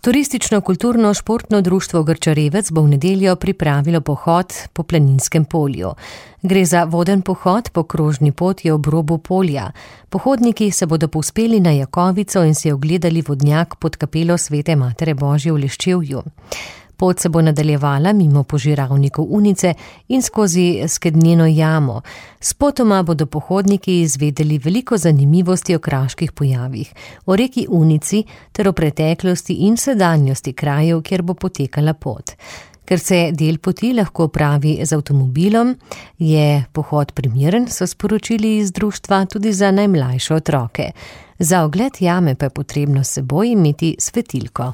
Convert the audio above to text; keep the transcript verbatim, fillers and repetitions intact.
Turistično-kulturno-športno društvo Grčarevec bo v nedeljo pripravilo pohod po Planinskem polju. Gre za voden pohod po krožni poti ob robu polja. Pohodniki se bodo povzpeli na Jakovico in si ogledali vodnjak pod kapelo Svete Matere Božje v Leščevju. Pot se bo nadaljevala mimo požiralnikov Unice in skozi Skednjeno jamo. Spotoma bodo pohodniki izvedeli veliko zanimivosti o kraških pojavih, o reki Unici ter o preteklosti in sedanjosti krajev, kjer bo potekala pot. Ker se del poti lahko opravi z avtomobilom, je pohod primeren, so sporočili iz društva, tudi za najmlajše otroke. Za ogled jame pa je potrebno s seboj imeti svetilko.